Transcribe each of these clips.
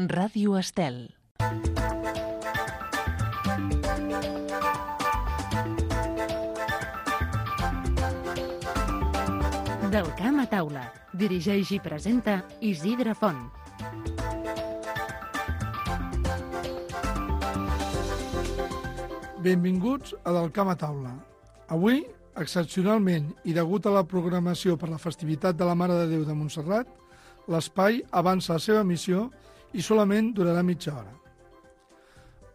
Ràdio Estel. Del camp a taula. Dirigeix i presenta Isidre Font. Benvinguts a Del camp a taula. Avui, excepcionalment i degut a la programació per la festivitat de la Mare de Déu de Montserrat, l'espai avança la seva missió i solament durarà mitja hora.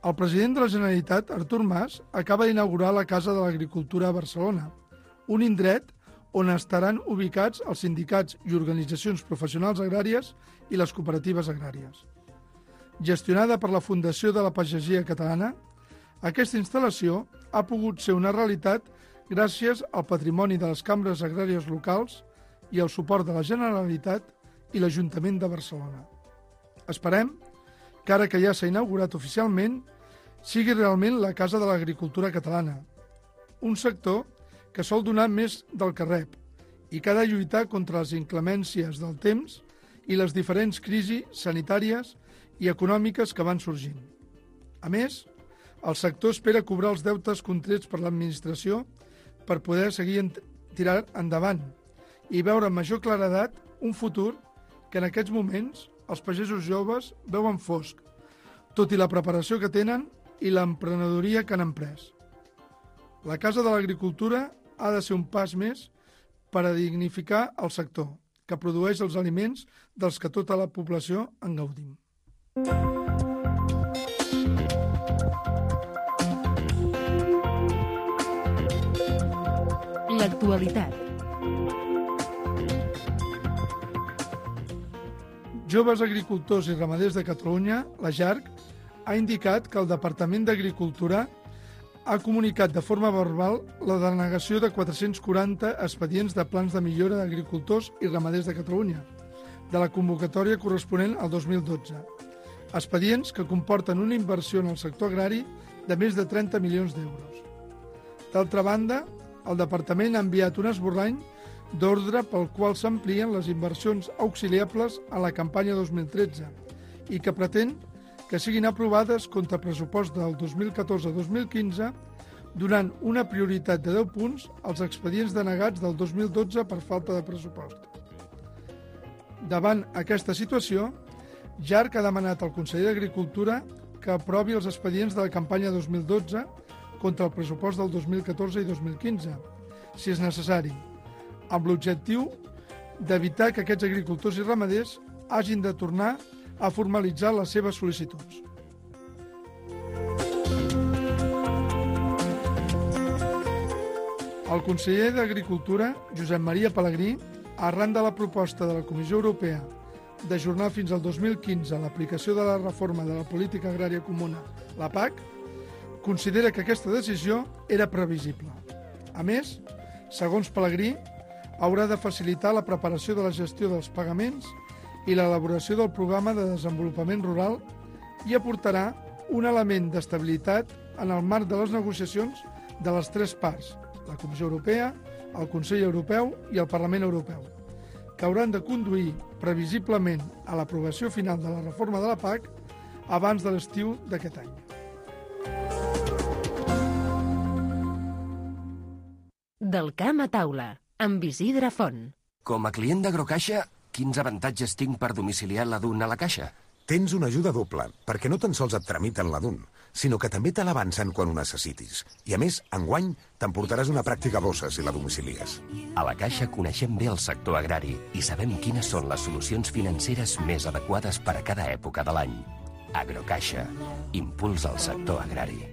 El president de la Generalitat, Artur Mas, acaba d'inaugurar la Casa de l'Agricultura a Barcelona, un indret on estaran ubicats els sindicats i organitzacions professionals agràries i les cooperatives agràries. Gestionada per la Fundació de la Pagesia Catalana, aquesta instal·lació ha pogut ser una realitat gràcies al patrimoni de les cambres agràries locals i al suport de la Generalitat i l'Ajuntament de Barcelona. Esperem que ara que ja s'ha inaugurat oficialment, sigui realment la Casa de l'Agricultura Catalana, un sector que sol donar més del que rep i que ha de lluitar contra les inclemències del temps i les diferents crisis sanitàries i econòmiques que van sorgint. A més, el sector espera cobrar els deutes contrets per l'administració per poder seguir tirar endavant i veure amb major claredat un futur que en aquests moments els pagesos joves veuen fosc, tot i la preparació que tenen i l'emprenedoria que han emprès. La Casa de l'Agricultura ha de ser un pas més per a dignificar el sector, que produeix els aliments dels que tota la població en gaudim. L'actualitat. Joves Agricultors i Ramaders de Catalunya, la JARC, ha indicat que el Departament d'Agricultura ha comunicat de forma verbal la denegació de 440 expedients de plans de millora d'agricultors i ramaders de Catalunya, de la convocatòria corresponent al 2012. Expedients que comporten una inversió en el sector agrari de més de 30 milions d'euros. D'altra banda, el Departament ha enviat un esborrany d'ordre pel qual s'amplien les inversions auxiliables a la campanya 2013 i que pretén que siguin aprovades contra pressupost del 2014-2015, donant una prioritat de 10 punts als expedients denegats del 2012 per falta de pressupost. Davant aquesta situació, JARC ha demanat al conseller d'Agricultura que aprovi els expedients de la campanya 2012 contra el pressupost del 2014 i 2015, si és necessari, amb l'objectiu d'evitar que aquests agricultors i ramaders hagin de tornar a formalitzar les seves sol·licituds. El conseller d'Agricultura, Josep Maria Pelegrí, arran de la proposta de la Comissió Europea d'ajornar fins al 2015 l'aplicació de la reforma de la política agrària comuna, la PAC, considera que aquesta decisió era previsible. A més, segons Pelegrí, haurà de facilitar la preparació de la gestió dels pagaments i l'elaboració del programa de desenvolupament rural i aportarà un element d'estabilitat en el marc de les negociacions de les tres parts, la Comissió Europea, el Consell Europeu i el Parlament Europeu, que hauran de conduir previsiblement a l'aprovació final de la reforma de la PAC abans de l'estiu d'aquest any. Del camp a taula, amb Isidre Font. Com a client d'Agrocaixa, quins avantatges tinc per domiciliar la DUN a la caixa? Tens una ajuda doble, perquè no tan sols et tramiten la DUN, sinó que també te l'avancen quan ho necessitis. I a més, enguany, t'emportaràs una pràctica bossa si la domicilies. A la Caixa coneixem bé el sector agrari i sabem quines són les solucions financeres més adequades per a cada època de l'any. Agrocaixa. Impuls al sector agrari.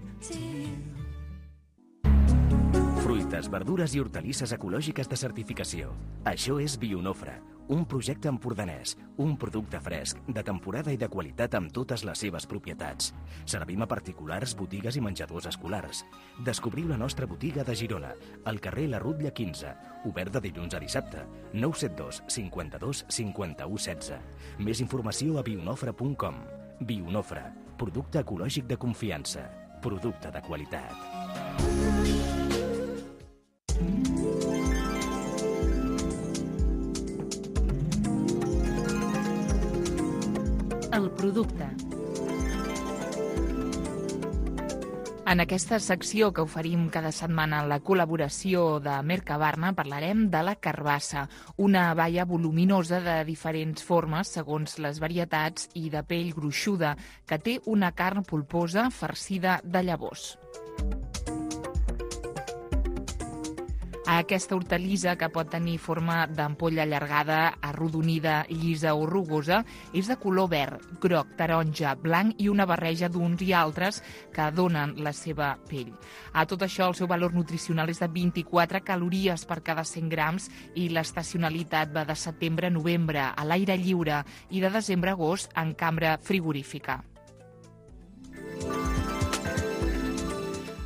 Fruites, verdures i hortalisses ecològiques de certificació. Això és Bionofre, un projecte empordanès, un producte fresc, de temporada i de qualitat amb totes les seves propietats. Servim a particulars, botigues i menjadors escolars. Descobriu la nostra botiga de Girona, al carrer La Rutlla 15, obert de dilluns a dissabte, 972 52 51 16. Més informació a bionofre.com. Bionofre, producte ecològic de confiança, producte de qualitat. El producte. En aquesta secció que oferim cada setmana en la col·laboració de Mercabarna parlarem de la carbassa, una baia voluminosa de diferents formes segons les varietats i de pell gruixuda que té una carn polposa farcida de llavors. Aquesta hortalissa, que pot tenir forma d'ampolla allargada, arrodonida, llisa o rugosa, és de color verd, groc, taronja, blanc i una barreja d'uns i altres que donen la seva pell. A tot això, el seu valor nutricional és de 24 calories per cada 100 grams i l'estacionalitat va de setembre a novembre a l'aire lliure i de desembre a agost en cambra frigorífica.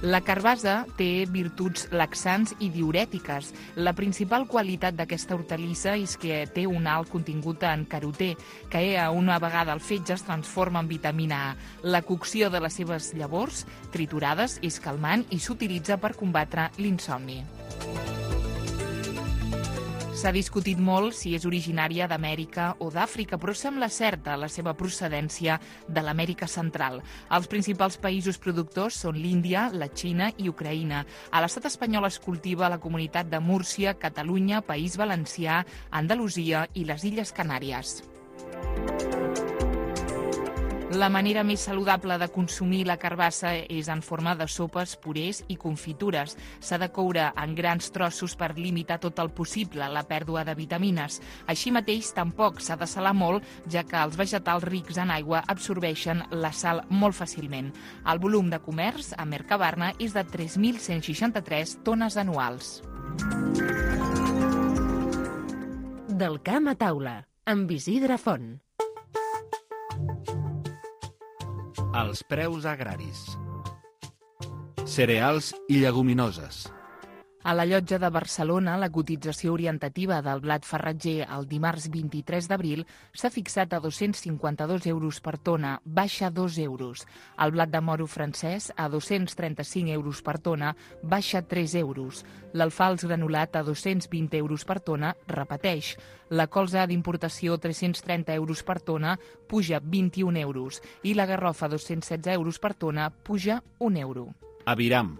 La carbassa té virtuts laxants i diurètiques. La principal qualitat d'aquesta hortalissa és que té un alt contingut en carotè, que una vegada el fetge es transforma en vitamina A. La cocció de les seves llavors, triturades, és calmant i s'utilitza per combatre l'insomni. S'ha discutit molt si és originària d'Amèrica o d'Àfrica, però sembla certa la seva procedència de l'Amèrica Central. Els principals països productors són l'Índia, la Xina i Ucraïna. A l'estat espanyol es cultiva a la comunitat de Múrcia, Catalunya, País Valencià, Andalusia i les Illes Canàries. La manera més saludable de consumir la carbassa és en forma de sopes, purés i confitures. S'ha de coure en grans trossos per limitar tot el possible la pèrdua de vitamines. Així mateix, tampoc s'ha de salar molt, ja que els vegetals rics en aigua absorbeixen la sal molt fàcilment. El volum de comerç a Mercabarna és de 3.163 tones anuals. Del camp a taula, amb Isidre Font. Els preus agraris. Cereals i lleguminoses. A la Llotja de Barcelona, la cotització orientativa del blat farratger el dimarts 23 d'abril s'ha fixat a 252 euros per tona, baixa 2 euros. El blat de moro francès a 235 euros per tona, baixa 3 euros. L'alfals granulat a 220 euros per tona, repeteix. La colza d'importació 330 euros per tona, puja 21 euros. I la garrofa 216 euros per tona, puja 1 euro. Aviram.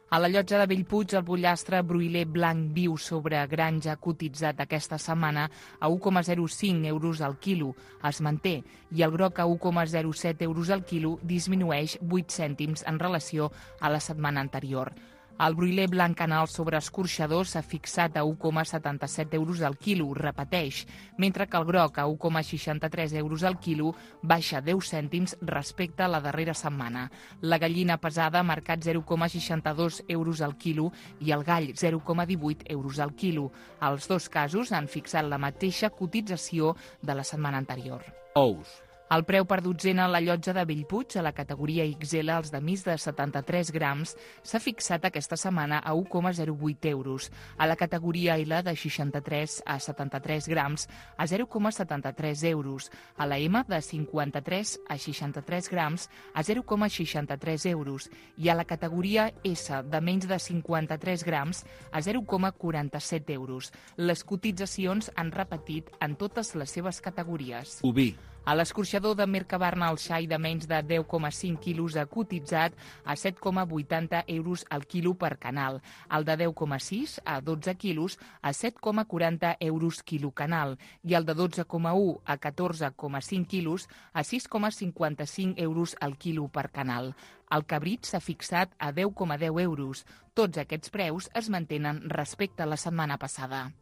A la Llotja de Bellpuig, el pollastre broiler blanc viu sobre granja cotitzat aquesta setmana a 1,05 euros al quilo es manté i el groc a 1,07 euros al quilo disminueix 8 cèntims en relació a la setmana anterior. El broiler blanc canal sobre escorxador s'ha fixat a 1,77 euros al quilo, repeteix, mentre que el groc a 1,63 euros al quilo baixa 10 cèntims respecte a la darrera setmana. La gallina pesada ha marcat 0,62 euros al quilo i el gall 0,18 euros al quilo. Els dos casos han fixat la mateixa cotització de la setmana anterior. Ous. El preu per dotzena a la Llotja de Bellpuig, a la categoria XL, els de més de 73 grams, s'ha fixat aquesta setmana a 1,08 euros. A la categoria L, de 63 a 73 grams, a 0,73 euros. A la M, de 53 a 63 grams, a 0,63 euros. I a la categoria S, de menys de 53 grams, a 0,47 euros. Les cotitzacions han repetit en totes les seves categories. Oví. A l'escorxador de Mercabarna, el xai de menys de 10,5 quilos ha cotitzat a 7,80 euros al quilo per canal. El de 10,6 a 12 quilos a 7,40 euros quilo canal. I el de 12,1 a 14,5 quilos a 6,55 euros al quilo per canal. El cabrit s'ha fixat a 10,10 euros. Tots aquests preus es mantenen respecte a la setmana passada.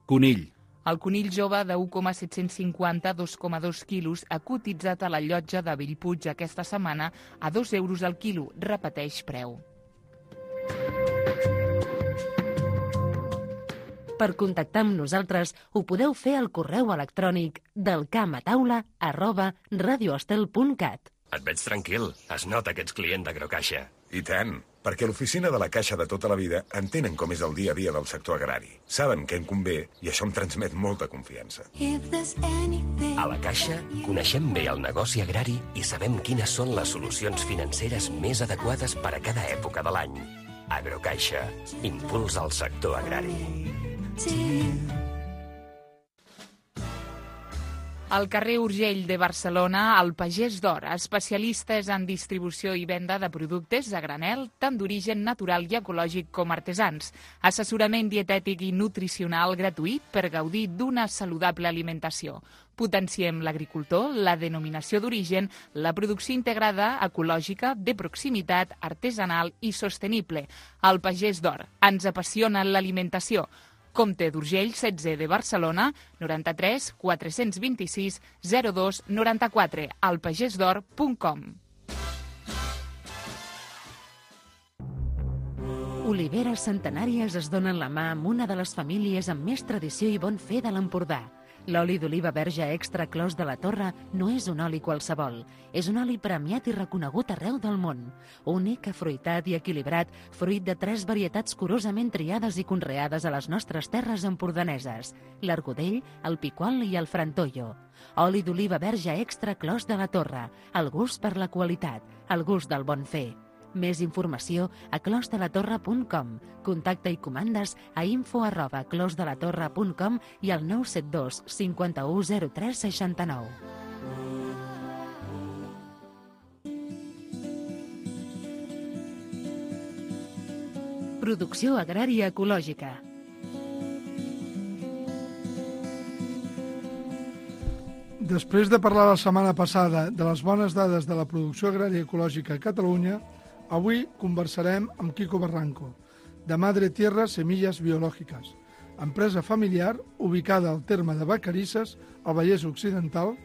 Conill. El conill jove de 1,750 a 2,2 quilos ha cotitzat a la Llotja de Bellpuig aquesta setmana a 2 euros al quilo, repeteix preu. Per contactar amb nosaltres ho podeu fer al correu electrònic delcampataula@radioestel.cat. Et veig tranquil. Es nota que ets client d'Agrocaixa. I tant, perquè l'oficina de la Caixa de tota la vida entenen com és el dia a dia del sector agrari. Saben què em convé i això em transmet molta confiança. A la Caixa coneixem bé el negoci agrari i sabem quines són les solucions financeres més adequades per a cada època de l'any. Agrocaixa, impuls al sector agrari. Al carrer Urgell de Barcelona, el Pagès d'Or, especialistes en distribució i venda de productes a granel, tant d'origen natural i ecològic com artesans. Assessorament dietètic i nutricional gratuït per gaudir d'una saludable alimentació. Potenciem l'agricultor, la denominació d'origen, la producció integrada, ecològica, de proximitat, artesanal i sostenible. El Pagès d'Or. Ens apassiona l'alimentació. Comte d'Urgell, 16 de Barcelona, 93 426 02 94, alpagesdor.com. Oliveres Centenàries es donen la mà amb una de les famílies amb més tradició i bon fer de l'Empordà. L'oli d'oliva verge extra Clos de la Torre no és un oli qualsevol. És un oli premiat i reconegut arreu del món. Únic, afruitat i equilibrat, fruit de 3 varietats curosament triades i conreades a les nostres terres empordaneses: l'argudell, el piquol i el frantollo. Oli d'oliva verge extra Clos de la Torre. El gust per la qualitat, el gust del bon fer. Més informació a closdelatorre.com. Contacte i comandes a info@closdelatorre.com i al 972 51 03 69. Producció agrària ecològica. Després de parlar la setmana passada de les bones dades de la producció agrària ecològica a Catalunya, avui conversarem amb Quico Barranco, de Madre Tierra Semillas Biológicas, empresa familiar ubicada al terme de Vacarisses, al Vallès Occidental,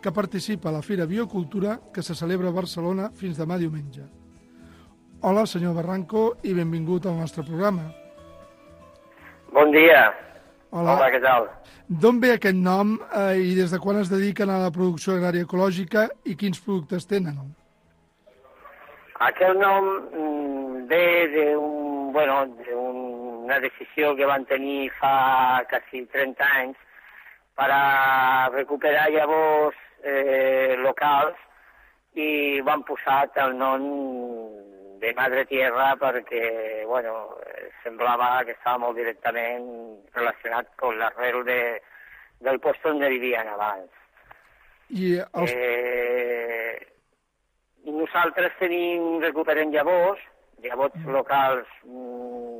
que participa a la Fira Biocultura que se celebra a Barcelona fins demà diumenge. Hola, senyor Barranco, i benvingut al nostre programa. Bon dia. Hola, què tal? D'on ve aquest nom i des de quan es dediquen a la producció agrària ecològica i quins productes tenen? Aquest nom ve d'una decisió que van tenir fa quasi 30 anys per a recuperar llavors locals i van posar el nom de Madre Tierra perquè semblava que estava molt directament relacionat amb l'arrel del lloc on vivien abans. I nosaltres recuperem llavors locals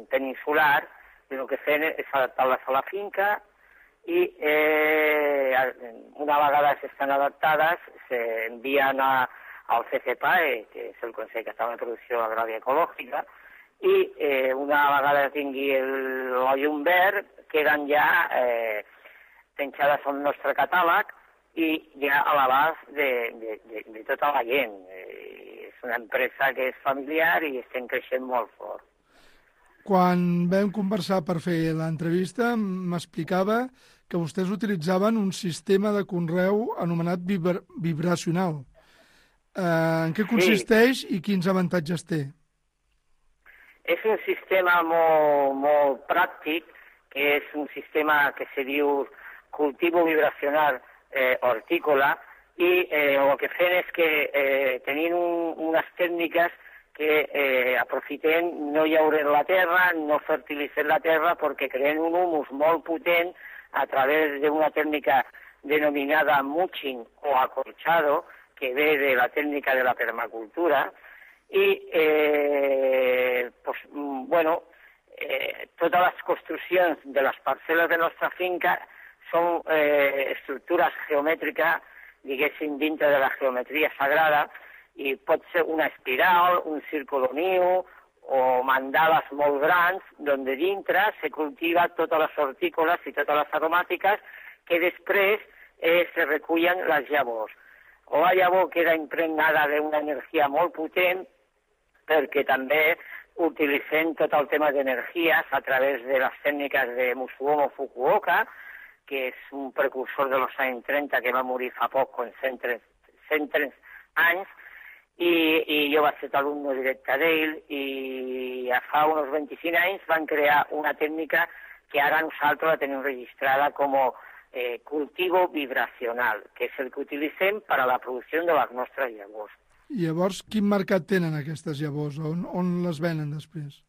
peninsulars, i el que fem és adaptar-les a la finca i una vegada s'estan adaptades s'envien al CCPAE, que és el Consell Català de Producció Agrària Ecològica, i una vegada tingui el llum verd queden ja penjades al nostre catàleg i ja a l'abast de tota la gent. És una empresa que és familiar i estem creixent molt fort. Quan vam conversar per fer l'entrevista m'explicava que vostès utilitzaven un sistema de conreu anomenat vibracional. En què consisteix i quins avantatges té? És un sistema molt pràctic, que és un sistema que se diu cultivo vibracional hortícola, i el que fem és que tenim unes tècniques que aprofitem no llaurar la terra, no fertilitzar la terra, perquè creen un humus molt potent a través d'una tècnica denominada mulching o acolchado, que ve de la tècnica de la permacultura, i totes les construccions de les parcel·les de la nostra finca són estructures geomètriques, diguéssim, dintre de la geometria sagrada, i pot ser una espiral, un círculo niu o mandales molt grans, on dintre se cultiva totes les hortícoles i totes les aromàtiques que després se recullen les llavors. La llavor queda impregnada d'una energia molt potent perquè també utilitzem tot el tema d'energies a través de les tècniques de Musuomo Fukuoka, que és un precursor dels anys 30 que va morir fa poc, amb 103 anys, i jo vaig ser alumne directe d'ell, i fa uns 25 anys van crear una tècnica que ara nosaltres la tenim registrada com cultivo vibracional, que és el que utilitzem per a la producció de les nostres llavors. I llavors, quin mercat tenen aquestes llavors? On les venen després?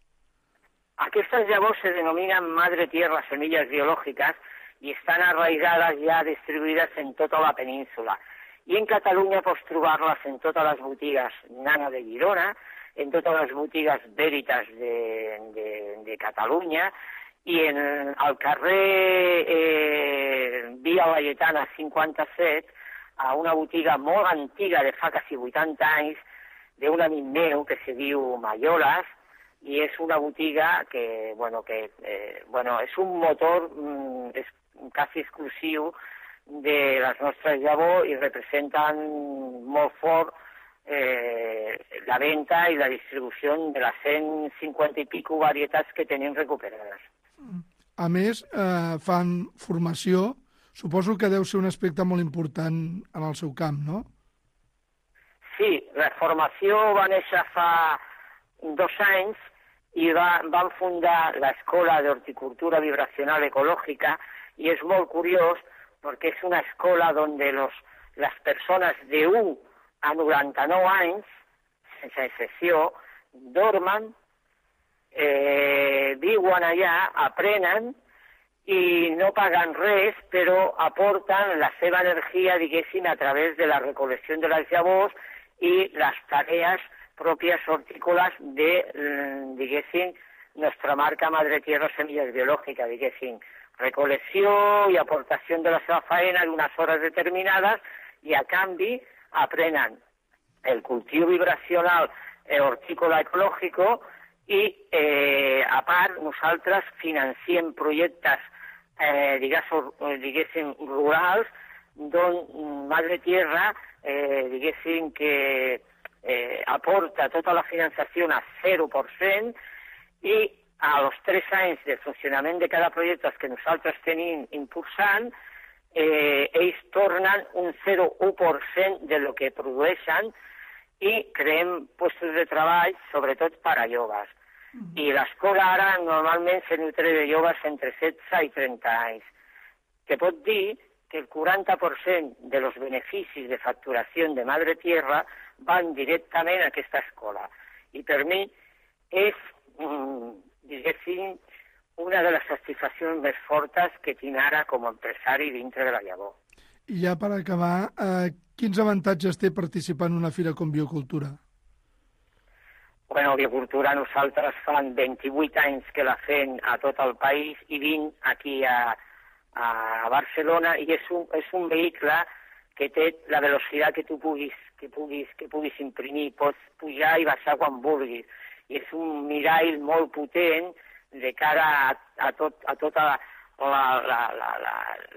Aquestes llavors se denominen Madre Tierra Semillas Biológicas i estan arraigades ja distribuïdes en tota la península. I en Catalunya pots trobar-les en totes les botigues Nana de Girona, en totes les botigues Veritas de Catalunya, i al carrer Via Laietana 57, a una botiga molt antiga de fa quasi 80 anys, d'un amic meu que se diu Mayolas, i és una botiga que és un motor quasi exclusiu de les nostres llavors i representen molt fort la venda i la distribució de les 150 i pico varietats que tenim recuperades. A més, fan formació. Suposo que deu ser un aspecte molt important en el seu camp, no? Sí, la formació va néixer fa 2 anys i van fundar l'Escola d'Horticultura Vibracional Ecològica i és molt curiós perquè és una escola on les persones de 1 a 99 anys, sense excepció, dormen, viuen allà, aprenen i no paguen res, però aporten la seva energia, diguéssim, a través de la recol·lecció de les llavors i les tarees pròpies hortícoles de, diguéssim, nostra marca Madre Tierra Semillas Biológicas, diguéssim, recol·lecció i aportació de la seva faena en unes hores determinades i a canvi aprenen el cultiu vibracional hortícola ecològico i, a part, nosaltres financiem projectes, diguéssim, rurals, on Madre Tierra, diguéssim, que aporta tota la finançació a 0% i als 3 anys de funcionament de cada projecte que nosaltres tenim impulsant, ells tornen un 0,1% de lo que produeixen i creem llocs de treball, sobretot per a joves. I l'escola ara normalment se nutre de joves entre 16 i 30 anys. Que pot dir que el 40% de los beneficis de facturació de Madre Tierra van directament a aquesta escola. I per mi és, diguéssim, una de les satisfaccions més fortes que tinc ara com a empresari dintre de la llavor. I ja per acabar, quins avantatges té participar en una fira com Biocultura? Bueno, Biocultura nosaltres fan 28 anys que la fem a tot el país i 20 aquí a Barcelona i és un vehicle que té la velocitat que tu puguis imprimir, pots pujar i baixar quan vulguis. I és un mirall molt potent de cara a tota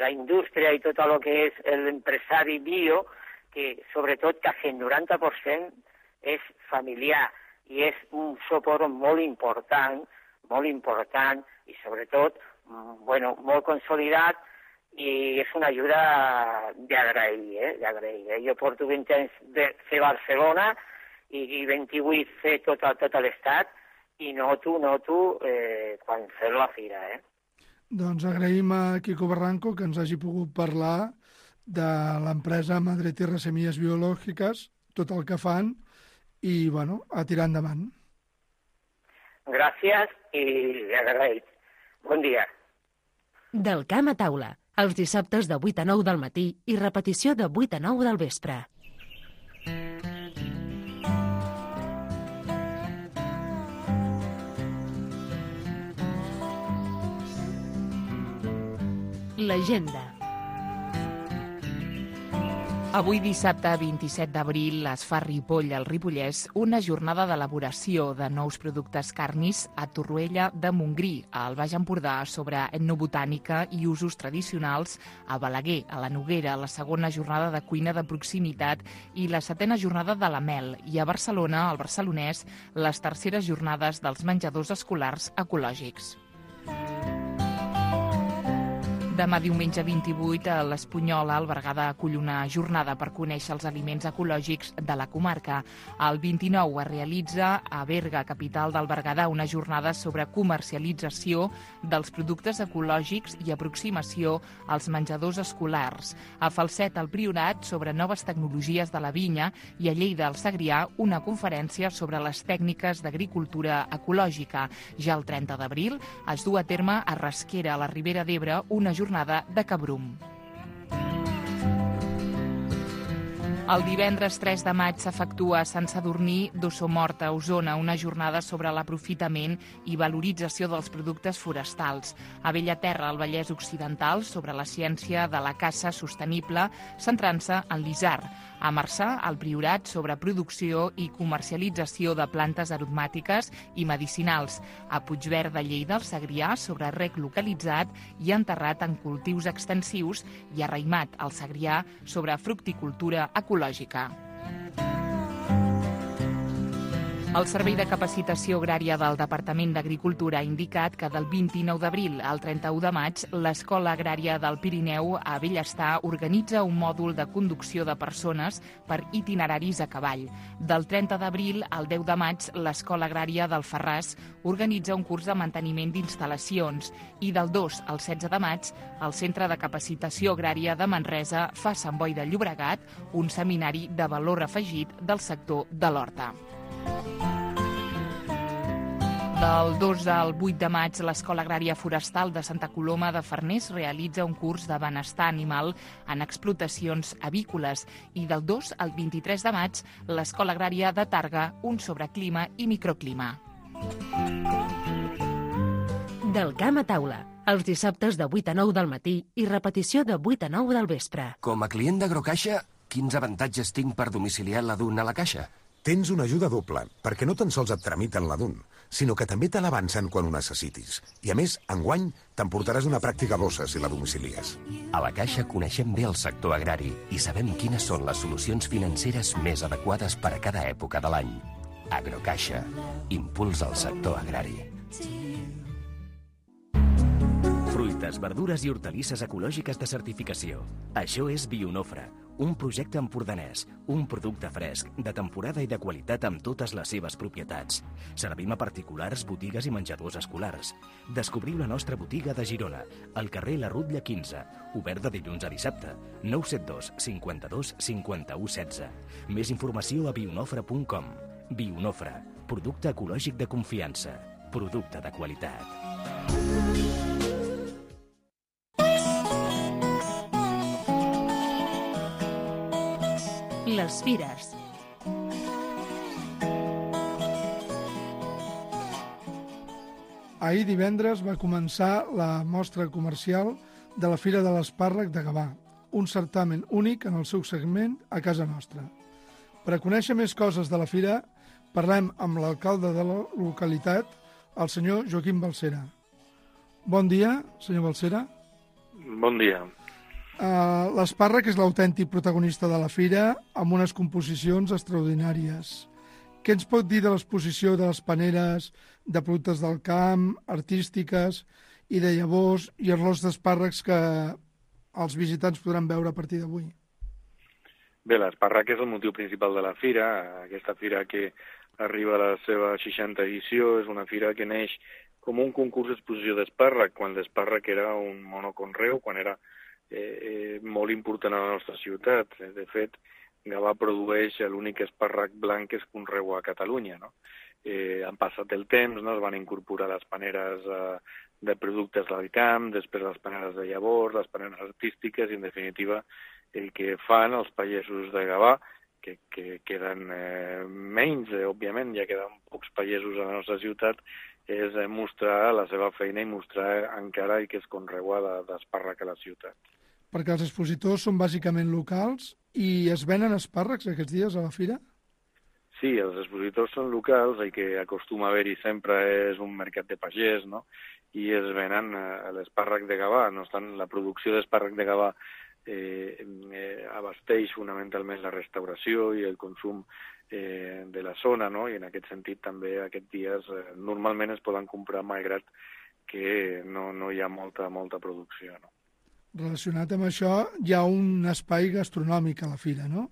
la indústria i tot el que és l'empresari bio, que sobretot quasi el 90% és familiar i és un suport molt important i sobretot molt consolidat i és una ajuda d'agrair. Jo porto 20 anys de fer Barcelona i 28 fer tot l'estat i noto quan fer la fira. Doncs agraïm a Quico Barranco que ens hagi pogut parlar de l'empresa Madre Tierra Semillas Biológicas, tot el que fan i, a tirar endavant. Gràcies i agraït. Bon dia. Del camp a taula, els dissabtes de 8 a 9 del matí i repetició de 8 a 9 del vespre. L'agenda. Avui dissabte 27 d'abril es fa a Ripoll, al Ripollès, una jornada d'elaboració de nous productes carnis a Torroella de Montgrí, al Baix Empordà, sobre etnobotànica i usos tradicionals, a Balaguer, a la Noguera, la segona jornada de cuina de proximitat i la 7a jornada de la mel, i a Barcelona, al Barcelonès, les terceres jornades dels menjadors escolars ecològics. Demà diumenge 28 a l'Espunyola, el Berguedà acull una jornada per conèixer els aliments ecològics de la comarca. El 29 es realitza a Berga, capital del Berguedà, una jornada sobre comercialització dels productes ecològics i aproximació als menjadors escolars. A Falset, al Priorat, sobre noves tecnologies de la vinya, i a Lleida, al Segrià, una conferència sobre les tècniques d'agricultura ecològica. Ja el 30 d'abril es du a terme a Rasquera, a la Ribera d'Ebre, una jornada jornada de Cabrum. El divendres 3 de maig s'efectua a Sant Sadurní d'Ossomort, a Osona, una jornada sobre l'aprofitament i valorització dels productes forestals. A Bellaterra, al Vallès Occidental, sobre la ciència de la caça sostenible, centrant-se en l'isard. A Marçà, al Priorat, sobre producció i comercialització de plantes aromàtiques i medicinals. A Puigverd de Lleida, al Segrià, sobre rec localitzat i enterrat en cultius extensius, i a Raïmat, al Segrià, sobre fructicultura ecològica. El Servei de Capacitació Agrària del Departament d'Agricultura ha indicat que del 29 d'abril al 31 de maig l'Escola Agrària del Pirineu a Bellestar organitza un mòdul de conducció de persones per itineraris a cavall. Del 30 d'abril al 10 de maig l'Escola Agrària del Ferràs organitza un curs de manteniment d'instal·lacions i del 2 al 16 de maig el Centre de Capacitació Agrària de Manresa fa a Sant Boi de Llobregat un seminari de valor afegit del sector de l'horta. Del 2 al 8 de maig, l'Escola Agrària Forestal de Santa Coloma de Farners realitza un curs de benestar animal en explotacions avícoles i del 2 al 23 de maig, l'Escola Agrària de Targa, un sobre clima i microclima. Del camp a taula, els dissabtes de 8 a 9 del matí i repetició de 8 a 9 del vespre. Com a client d'Agrocaixa, quins avantatges tinc per domiciliar la DUN a la caixa? Tens una ajuda doble, perquè no tan sols et tramiten la DUN, sinó que també te l'avancen quan ho necessitis. I a més, enguany, t'emportaràs una pràctica bossa si la domicilies. A la Caixa coneixem bé el sector agrari i sabem quines són les solucions financeres més adequades per a cada època de l'any. Agrocaixa. Impulsa el sector agrari. Fruites, verdures i hortalisses ecològiques de certificació. Això és Bionofre, un projecte empordanès, un producte fresc, de temporada i de qualitat amb totes les seves propietats. Servim a particulars, botigues i menjadors escolars. Descobriu la nostra botiga de Girona, al carrer La Rutlla 15, obert de dilluns a dissabte, 972 52 51 16. Més informació a bionofre.com. Bionofre, producte ecològic de confiança, producte de qualitat. Les fires. Ahir divendres va començar la mostra comercial de la Fira de l'Espàrrec de Gavà, un certamen únic en el seu segment a casa nostra. Per a conèixer més coses de la fira, parlem amb l'alcalde de la localitat, el senyor Joaquim Balsera. Bon dia, senyor Balsera. Bon dia. L'espàrrec és l'autèntic protagonista de la fira, amb unes composicions extraordinàries. Què ens pot dir de l'exposició de les paneres, de productes del camp, artístiques i de llavors i arròs d'espàrrecs que els visitants podran veure a partir d'avui? Bé, l'espàrrec és el motiu principal de la fira. Aquesta fira que arriba a la seva 60 edició és una fira que neix com un concurs d'exposició d'espàrrec, quan l'espàrrec era un monoconreu, quan era molt important a la nostra ciutat. De fet, Gavà produeix l'únic espàrrec blanc que es conreua a Catalunya, no? Han passat el temps, no? Es van incorporar les paneres de productes del camp, després les paneres de llavors, les paneres artístiques, i en definitiva el que fan els pagesos de Gavà, que queden menys, òbviament, ja queden pocs pagesos a la nostra ciutat, és mostrar la seva feina i mostrar encara que es conreua d'espàrrec a la ciutat. Perquè els expositors són bàsicament locals i es venen espàrrecs aquests dies a la fira? Sí, els expositors són locals, el que acostuma a haver-hi sempre és un mercat de pagès, no? I es venen l'espàrrec de Gavà. No obstant, la producció d'espàrrec de Gavà abasteix fonamentalment la restauració i el consum de la zona, no? I en aquest sentit també aquests dies normalment es poden comprar malgrat que no hi ha molta producció, no? Relacionat amb això, hi ha un espai gastronòmic a la fira, no?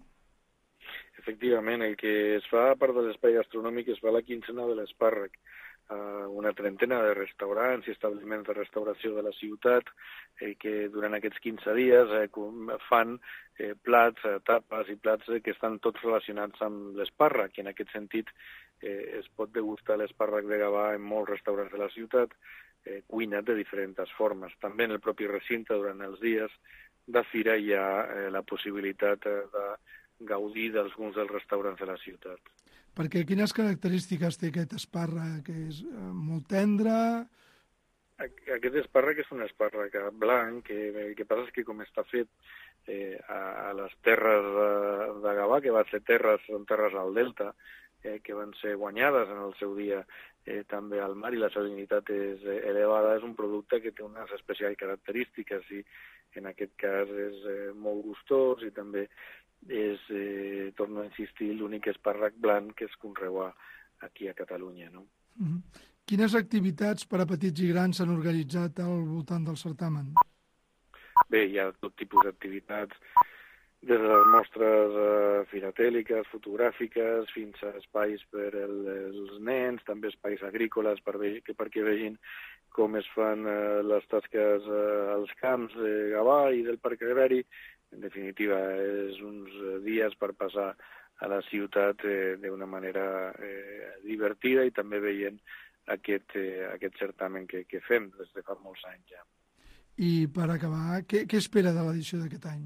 Efectivament, el que es fa a part de l'espai gastronòmic es fa la quincena de l'espàrrec. Una trentena de restaurants i establiments de restauració de la ciutat que durant aquests 15 dies fan plats, tapes i plats que estan tots relacionats amb l'espàrrec, i en aquest sentit es pot degustar l'espàrrec de Gavà en molts restaurants de la ciutat, cuinat de diferents formes. També en el propi recinte, durant els dies de fira, hi ha la possibilitat de gaudir d'alguns dels restaurants de la ciutat. Perquè quines característiques té aquest espàrrec? Que és molt tendre? Aquest espàrrec és un espàrrec blanc, que passa és que com està fet a les terres de Gavà, que són terres al delta, que van ser guanyades en el seu dia també al mar, i la salinitat és elevada, és un producte que té unes especials característiques, i en aquest cas és molt gustós, i també és, torno a insistir, l'únic espàrrec blanc que es conreua aquí a Catalunya, no? Quines activitats per a petits i grans s'han organitzat al voltant del certamen? Bé, hi ha tot tipus d'activitats, des de les mostres filatèliques, fotogràfiques, fins a espais per als nens, també espais agrícoles perquè vegin com es fan les tasques als camps de Gavà i del Parc Agrari. En definitiva, és uns dies per passar a la ciutat d'una manera divertida, i també veient aquest certamen que fem des de fa molts anys ja. I per acabar, què espera de l'edició d'aquest any?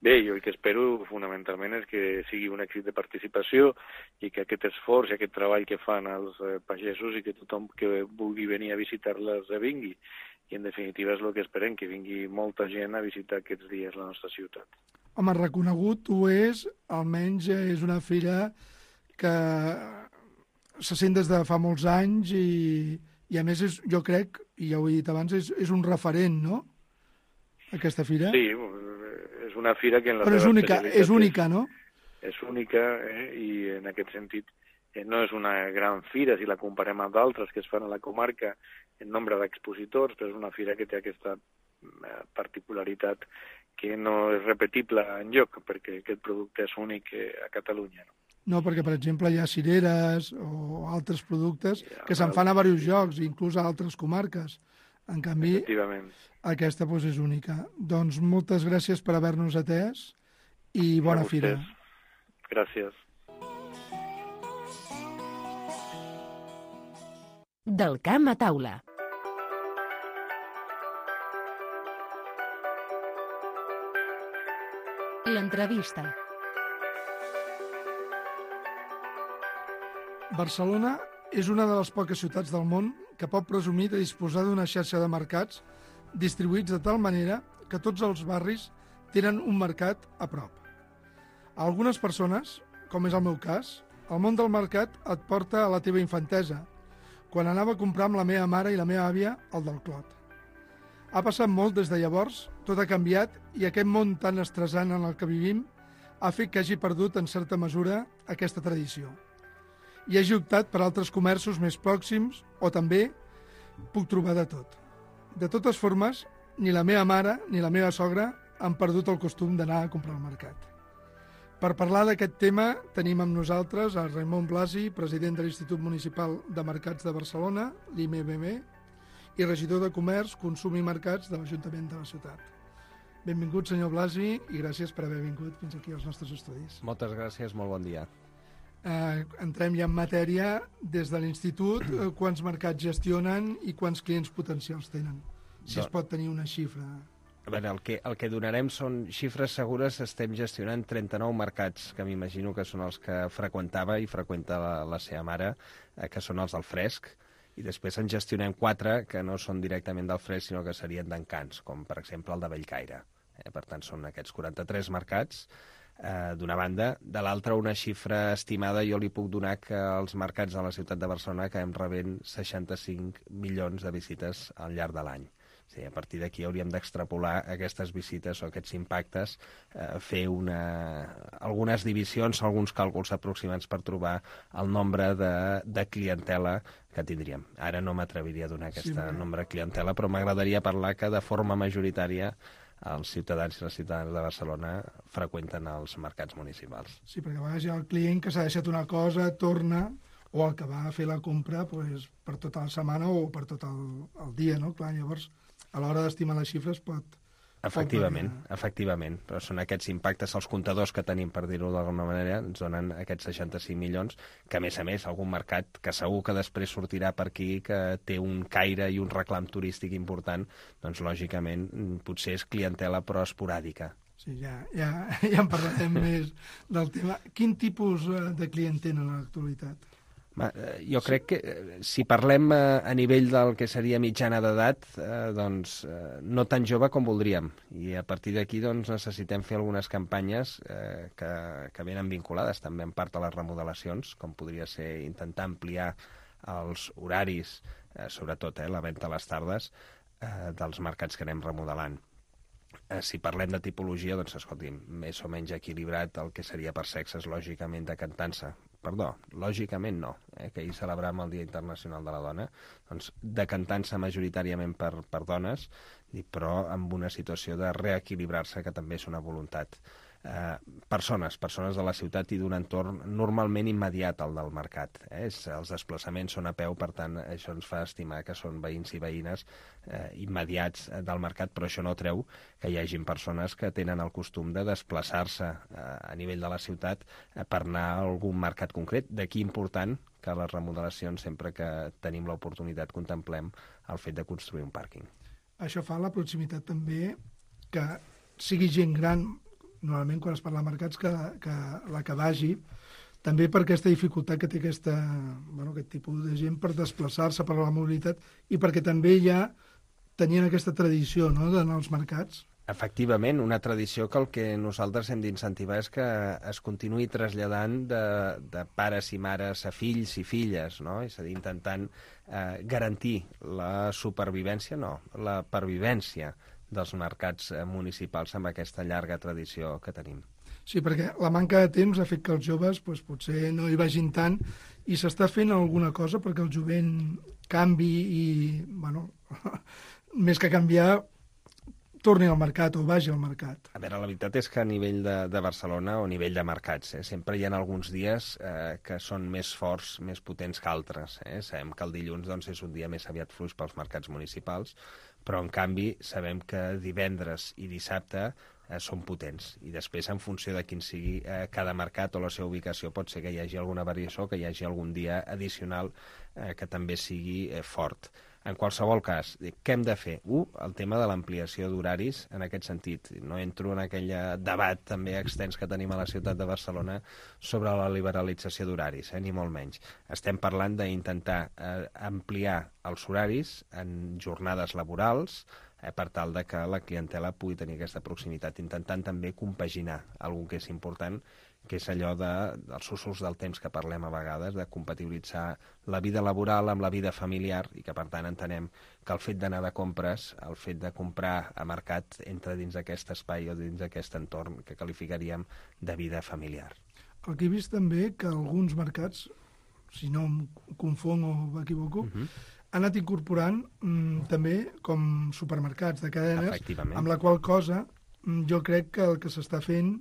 Bé, jo el que espero fonamentalment és que sigui un èxit de participació, i que aquest esforç i aquest treball que fan els pagesos, i que tothom que vulgui venir a visitar-les vingui. I en definitiva és el que esperem, que vingui molta gent a visitar aquests dies la nostra ciutat. Home, reconegut ho és, almenys és una fira que se sent des de fa molts anys, i a més jo crec, i ja ho he dit abans, és un referent, no?, aquesta fira? Sí, és una fira que en la però és única, no? És única, i en aquest sentit no és una gran fira si la comparem amb d'altres que es fan a la comarca en nombre d'expositors, però és una fira que té aquesta particularitat que no és repetible enlloc, perquè aquest producte és únic a Catalunya. No, perquè, per exemple, hi ha cireres o altres productes que se'n fan a diversos llocs, inclús a altres comarques. En canvi, aquesta és única. Doncs moltes gràcies per haver-nos atès i bona fira. Gràcies. Del camp a taula. L'entrevista. Barcelona és una de les poques ciutats del món que pot presumir de disposar d'una xarxa de mercats distribuïts de tal manera que tots els barris tenen un mercat a prop. A algunes persones, com és el meu cas, el món del mercat et porta a la teva infantesa, quan anava a comprar amb la meva mare i la meva àvia al del Clot. Ha passat molt des de llavors, tot ha canviat, i aquest món tan estressant en el que vivim ha fet que hagi perdut en certa mesura aquesta tradició. I hagi optat per altres comerços més pròxims, o també puc trobar de tot. De totes formes, ni la meva mare ni la meva sogra han perdut el costum d'anar a comprar al mercat. Per parlar d'aquest tema tenim amb nosaltres a Raimon Blasi, president de l'Institut Municipal de Mercats de Barcelona, l'IMBM, i regidor de Comerç, Consum i Mercats de l'Ajuntament de la ciutat. Benvingut, senyor Blasi, i gràcies per haver vingut fins aquí als nostres estudis. Moltes gràcies, molt bon dia. Entrem ja en matèria. Des de l'Institut, quants mercats gestionen i quants clients potencials tenen? Si es pot tenir una xifra. A veure, el que donarem són xifres segures. Estem gestionant 39 mercats, que m'imagino que són els que freqüentava i freqüenta la seva mare, que són els del fresc, i després en gestionem 4 que no són directament del fresc, sinó que serien d'encants, com per exemple el de Bellcaire. Per tant, són aquests 43 mercats, d'una banda. De l'altra, una xifra estimada, jo li puc donar que els mercats de la ciutat de Barcelona acabem rebent 65 milions de visites al llarg de l'any. Sí, a partir d'aquí hauríem d'extrapolar aquestes visites o aquests impactes, fer algunes divisions, alguns càlculs aproximats per trobar el nombre de clientela que tindríem. Ara no m'atreviria a donar aquest nombre de clientela, però m'agradaria parlar que de forma majoritària els ciutadans i les ciutadanes de Barcelona freqüenten els mercats municipals. Sí, perquè a vegades hi ha el client que s'ha deixat una cosa, torna, o el que va a fer la compra per tota la setmana o per tot el dia, no? Clar, llavors, a l'hora d'estimar les xifres pot Efectivament, però són aquests impactes, els comptadors que tenim, per dir-ho d'alguna manera, ens donen aquests 65 milions, que a més, algun mercat que segur que després sortirà per aquí, que té un caire i un reclam turístic important, doncs lògicament potser és clientela però esporàdica. Sí, ja en parlarem més del tema. Quin tipus de client tenen a l'actualitat? Jo crec que si parlem a nivell del que seria mitjana d'edat, doncs no tan jove com voldríem. I a partir d'aquí doncs, necessitem fer algunes campanyes que venen vinculades també en part a les remodelacions, com podria ser intentar ampliar els horaris, sobretot la venda a les tardes, dels mercats que anem remodelant. Si parlem de tipologia, doncs, escolti'm, més o menys equilibrat el que seria per sexes, lògicament decantant-se. Perdó, lògicament no, que ahir celebràvem el Dia Internacional de la Dona, doncs decantant-se majoritàriament per dones, però amb una situació de reequilibrar-se, que també és una voluntat. Persones de la ciutat i d'un entorn normalment immediat al del mercat. Els desplaçaments són a peu, per tant, això ens fa estimar que són veïns i veïnes immediats del mercat, però això no treu que hi hagin persones que tenen el costum de desplaçar-se a nivell de la ciutat per anar a algun mercat concret. D'aquí important que les remodelacions, sempre que tenim l'oportunitat, contemplem el fet de construir un pàrquing. Això fa la proximitat també que sigui gent gran, normalment quan es parla de mercats, que la que vagi, també per aquesta dificultat que té aquest tipus de gent per desplaçar-se per la mobilitat i perquè també ja tenien aquesta tradició d'anar als mercats. Efectivament, una tradició que el que nosaltres hem d'incentivar és que es continuï traslladant de pares i mares a fills i filles, no? És a dir, intentant garantir la supervivència, la pervivència dels mercats municipals amb aquesta llarga tradició que tenim. Sí, perquè la manca de temps ha fet que els joves potser no hi vagin tant i s'està fent alguna cosa perquè el jovent canvi i, més que canviar, torni al mercat o vagi al mercat. A veure, la veritat és que a nivell de Barcelona o a nivell de mercats, sempre hi ha alguns dies que són més forts, més potents que altres. Sabem que el dilluns és un dia més aviat fluix pels mercats municipals, però en canvi sabem que divendres i dissabte són potents. I després, en funció de quin sigui cada mercat o la seva ubicació, pot ser que hi hagi alguna variació, que hi hagi algun dia addicional que també sigui fort. En qualsevol cas, què hem de fer? El tema de l'ampliació d'horaris en aquest sentit. No entro en aquell debat també extens que tenim a la ciutat de Barcelona sobre la liberalització d'horaris, ni molt menys. Estem parlant d'intentar ampliar els horaris en jornades laborals per tal de que la clientela pugui tenir aquesta proximitat, intentant també compaginar algun que és important, que és allò dels usos del temps que parlem a vegades, de compatibilitzar la vida laboral amb la vida familiar i que, per tant, entenem que el fet d'anar de compres, el fet de comprar a mercat, entra dins d'aquest espai o dins d'aquest entorn que qualificaríem de vida familiar. El que he vist també que alguns mercats, si no em confong o m'equivoco, han anat incorporant també com supermercats de cadenes, amb la qual cosa jo crec que el que s'està fent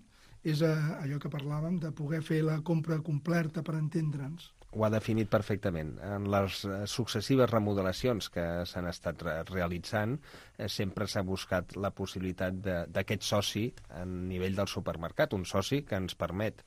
és allò que parlàvem, de poder fer la compra completa per entendre'ns. Ho ha definit perfectament. En les successives remodelacions que s'han estat realitzant, sempre s'ha buscat la possibilitat d'aquest soci a nivell del supermercat, un soci que ens permet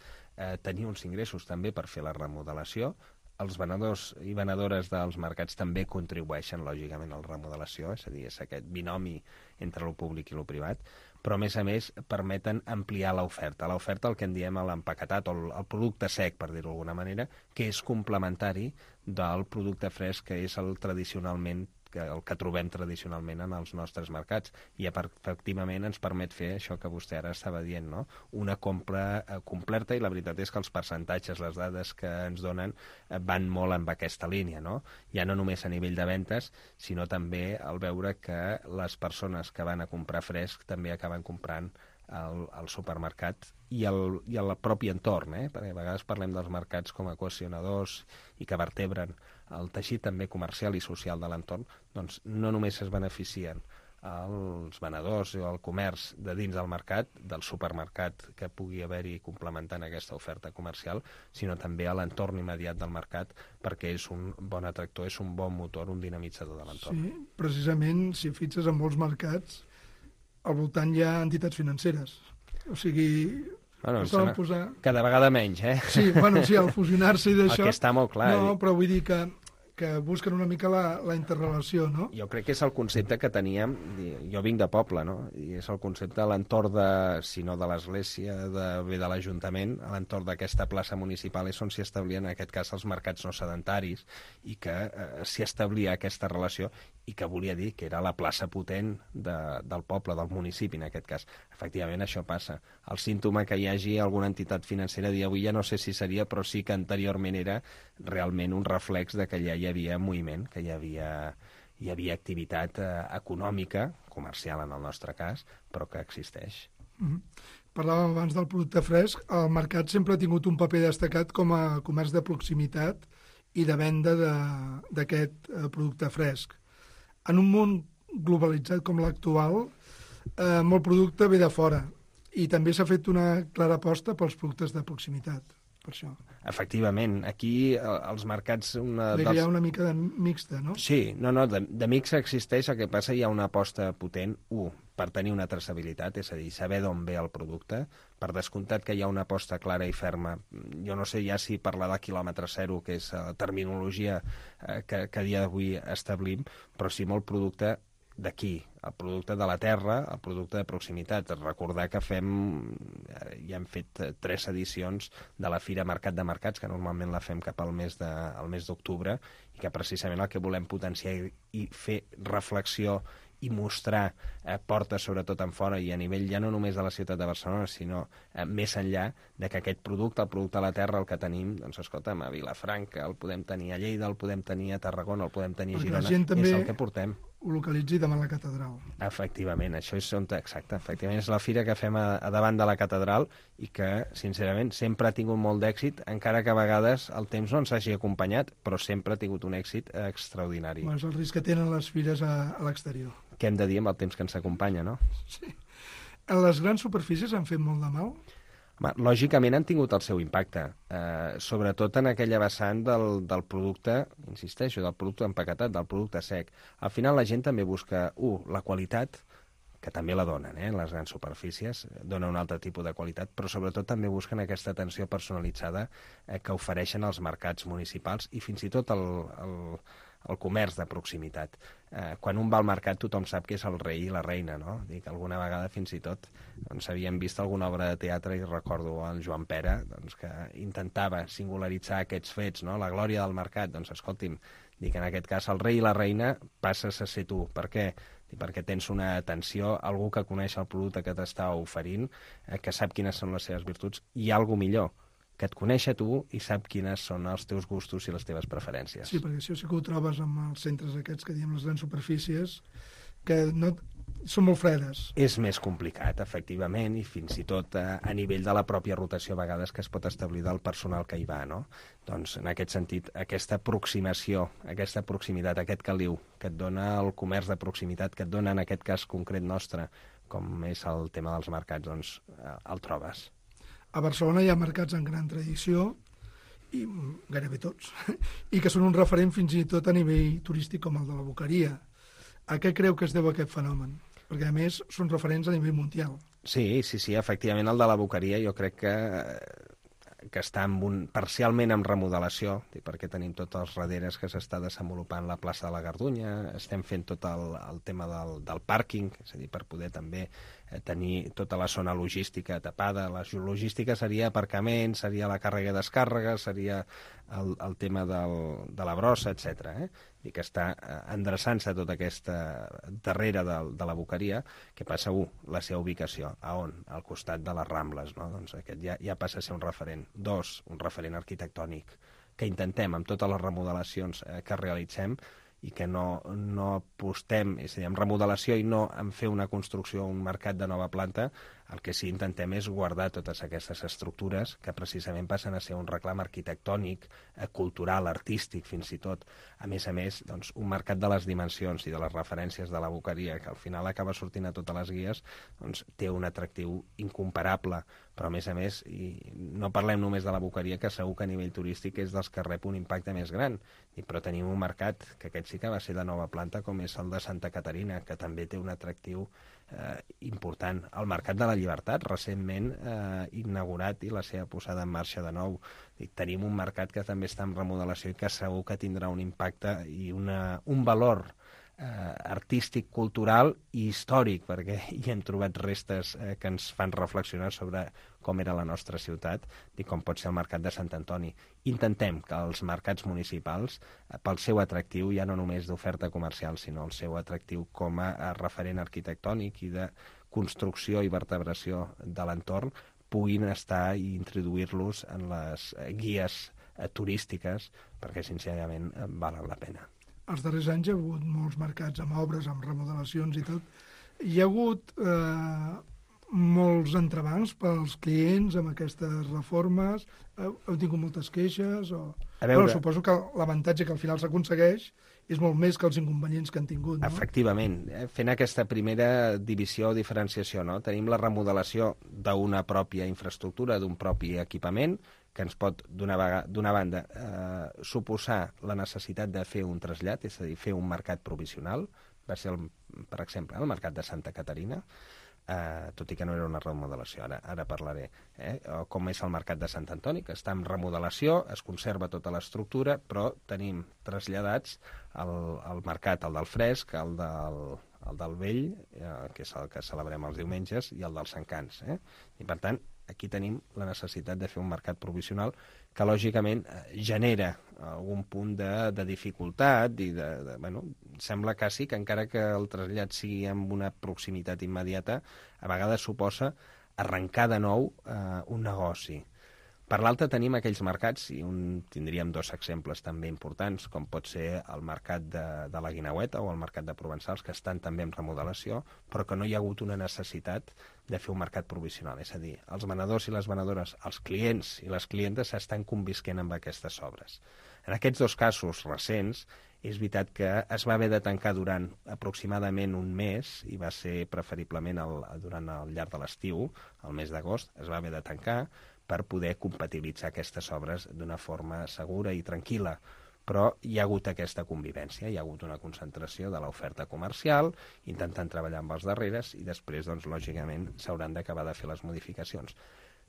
tenir uns ingressos també per fer la remodelació. Els venedors i venedores dels mercats també contribueixen, lògicament, a la remodelació, és a dir, és aquest binomi entre el públic i el privat, però, a més, permeten ampliar l'oferta. L'oferta, el que en diem l'empaquetat o el producte sec, per dir-ho d'alguna manera, que és complementari del producte fresc, que és el que trobem tradicionalment en els nostres mercats. I, efectivament, ens permet fer això que vostè ara estava dient, no? Una compra completa, i la veritat és que els percentatges, les dades que ens donen, van molt en aquesta línia, no? Ja no només a nivell de ventes, sinó també al veure que les persones que van a comprar fresc també acaben comprant al supermercat i al propi entorn, perquè a vegades parlem dels mercats com a cohesionadors i que vertebren el teixit també comercial i social de l'entorn, doncs no només es beneficien els venedors o el comerç de dins del mercat, del supermercat que pugui haver-hi complementant aquesta oferta comercial, sinó també a l'entorn immediat del mercat, perquè és un bon atractor, és un bon motor, un dinamitzador de l'entorn. Sí, precisament, si fixes en molts mercats, al voltant hi ha entitats financeres. O sigui, Bueno, em poden sembla posar... cada vegada menys, eh? Sí, bueno, sí, al fusionar-se i d'això... El que està molt clar. No, però vull dir que busquen una mica la interrelació, no? Jo crec que és el concepte que teníem, jo vinc de poble, no? I és el concepte a l'entorn de, si no de l'església, de l'Ajuntament, a l'entorn d'aquesta plaça municipal és on s'hi establien, en aquest cas, els mercats no sedentaris, i que s'hi establia aquesta relació, i que volia dir que era la plaça potent del poble, del municipi, en aquest cas. Efectivament, això passa. El símptoma que hi hagi alguna entitat financera dia avui ja no sé si seria, però sí que anteriorment era realment un reflex de que ja hi havia moviment, que hi havia activitat econòmica, comercial en el nostre cas, però que existeix. Parlàvem abans del producte fresc. El mercat sempre ha tingut un paper destacat com a comerç de proximitat i de venda d'aquest producte fresc. En un món globalitzat com l'actual, molt producte ve de fora i també s'ha fet una clara aposta pels productes de proximitat, per això. Efectivament, aquí els mercats... Hi ha una mica de mixta, no? Sí, de mixa existeix, el que passa hi ha una aposta potent, per tenir una traçabilitat, és a dir, saber d'on ve el producte, per descomptat que hi ha una aposta clara i ferma. Jo no sé ja si parlar de quilòmetre zero, que és la terminologia que a dia d'avui establim, però sí molt producte d'aquí, el producte de la terra, el producte de proximitat. Recordar que ja hem fet 3 edicions de la Fira Mercat de Mercats, que normalment la fem cap al mes d'octubre, i que precisament el que volem potenciar i fer reflexió i mostrar portes sobretot en fora i a nivell ja no només de la ciutat de Barcelona, sinó més enllà de que aquest producte, el producte de la terra, el que tenim, doncs escolta'm, a Vilafranca, el podem tenir a Lleida, el podem tenir a Tarragona, el podem tenir a Girona, és el que portem. Ho localitzi davant la catedral. Efectivament, això és exacte. Efectivament, és la fira que fem a davant de la catedral i que, sincerament, sempre ha tingut molt d'èxit, encara que a vegades el temps no ens hagi acompanyat, però sempre ha tingut un èxit extraordinari. És el risc que tenen les fires a l'exterior. Què hem de dir amb el temps que ens acompanya, no? Sí. Les grans superfícies han fet molt de mal? Lògicament han tingut el seu impacte, sobretot en aquella vessant del producte, insisteixo, del producte empaquetat, del producte sec. Al final la gent també busca, la qualitat, que també la donen, les grans superfícies, dona un altre tipus de qualitat, però sobretot també busquen aquesta atenció personalitzada que ofereixen els mercats municipals i fins i tot el comerç de proximitat. Quan un va al mercat tothom sap que és el rei i la reina, no? Dic, alguna vegada fins i tot havíem vist alguna obra de teatre i recordo el Joan Pera que intentava singularitzar aquests fets, no? La glòria del mercat. Doncs escolti'm, dic, en aquest cas el rei i la reina passes a ser tu. Per què? Perquè tens una atenció, algú que coneix el producte que t'està oferint, que sap quines són les seves virtuts, i alguna millor, que et coneix a tu i sap quines són els teus gustos i les teves preferències. Sí, perquè això sí que ho trobes amb els centres aquests que diem les grans superfícies, que no són molt fredes. És més complicat, efectivament, i fins i tot a nivell de la pròpia rotació a vegades que es pot establir del personal que hi va, no? Doncs en aquest sentit, aquesta aproximació, aquesta proximitat, aquest caliu que et dona el comerç de proximitat, que et dona en aquest cas concret nostre, com és el tema dels mercats, doncs el trobes. A Barcelona hi ha mercats en gran tradició, i gairebé tots, i que són un referent fins i tot a nivell turístic com el de la Boqueria. A què creu que es deu aquest fenomen? Perquè, a més, són referents a nivell mundial. Sí, efectivament, el de la Boqueria jo crec que està parcialment en remodelació, perquè tenim tots els raderes que s'està desenvolupant la plaça de la Gardunya, estem fent tot el tema del pàrquing, és a dir, per poder també tenir tota la zona logística tapada. La logística seria aparcament, seria la càrrega i descàrrega, seria el tema de la brossa, etc. I que està endreçant-se tota aquesta darrere de la Boqueria, que passa, la seva ubicació, a on? Al costat de les Rambles, no? Doncs aquest ja passa a ser un referent. 2, un referent arquitectònic, que intentem, amb totes les remodelacions que realitzem, i que no apostem, és a dir, en remodelació i no en fer una construcció, un mercat de nova planta, el que sí intentem és guardar totes aquestes estructures que precisament passen a ser un reclam arquitectònic, cultural, artístic, fins i tot. A més, doncs, un mercat de les dimensions i de les referències de la Boqueria, que al final acaba sortint a totes les guies, doncs té un atractiu incomparable, però a més, i no parlem només de la Boqueria, que segur que a nivell turístic és dels que rep un impacte més gran, però tenim un mercat que aquest sí que va ser de nova planta, com és el de Santa Caterina, que també té un atractiu important. El Mercat de la Llibertat, recentment inaugurat i la seva posada en marxa de nou. Tenim un mercat que també està en remodelació i que segur que tindrà un impacte i un valor artístic, cultural i històric, perquè hi hem trobat restes que ens fan reflexionar sobre com era la nostra ciutat i com pot ser el Mercat de Sant Antoni. Intentem que els mercats municipals, pel seu atractiu, ja no només d'oferta comercial, sinó el seu atractiu com a referent arquitectònic i de construcció i vertebració de l'entorn, puguin estar i introduir-los en les guies turístiques, perquè sincerament valen la pena. Els darrers anys hi ha hagut molts mercats amb obres, amb remodelacions i tot. Hi ha hagut molts entrebancs pels clients amb aquestes reformes. Heu tingut moltes queixes? Bueno, suposo que l'avantatge que al final s'aconsegueix és molt més que els inconvenients que han tingut, no? Efectivament. Fent aquesta primera divisió o diferenciació, no? Tenim la remodelació d'una pròpia infraestructura, d'un propi equipament, que ens pot, d'una banda, suposar la necessitat de fer un trasllat, és a dir, fer un mercat provisional. Va ser, per exemple, el mercat de Santa Caterina, tot i que no era una remodelació, ara parlaré, com és el mercat de Sant Antoni, que està en remodelació, es conserva tota l'estructura, però tenim traslladats el mercat, el del Fresc, el del Vell, que és el que celebrem els diumenges, i el dels Encants. I, per tant, aquí tenim la necessitat de fer un mercat provisional que, lògicament, genera algun punt de dificultat i bueno, sembla quasi que encara que el trasllat sigui amb una proximitat immediata, a vegades suposa arrencar de nou un negoci. Per l'altra tenim aquells mercats, i tindríem dos exemples també importants, com pot ser el mercat de la Guineueta o el mercat de Provençals, que estan també en remodelació, però que no hi ha hagut una necessitat de fer un mercat provisional. És a dir, els venedors i les venedores, els clients i les clientes estan convisquent amb aquestes obres. En aquests dos casos recents, és veritat que es va haver de tancar durant aproximadament un mes, i va ser preferiblement durant el llarg de l'estiu, el mes d'agost, es va haver de tancar, per poder compatibilitzar aquestes obres d'una forma segura i tranquil·la. Però hi ha hagut aquesta convivència, hi ha hagut una concentració de l'oferta comercial, intentant treballar amb els darreres, i després, doncs, lògicament, s'hauran d'acabar de fer les modificacions.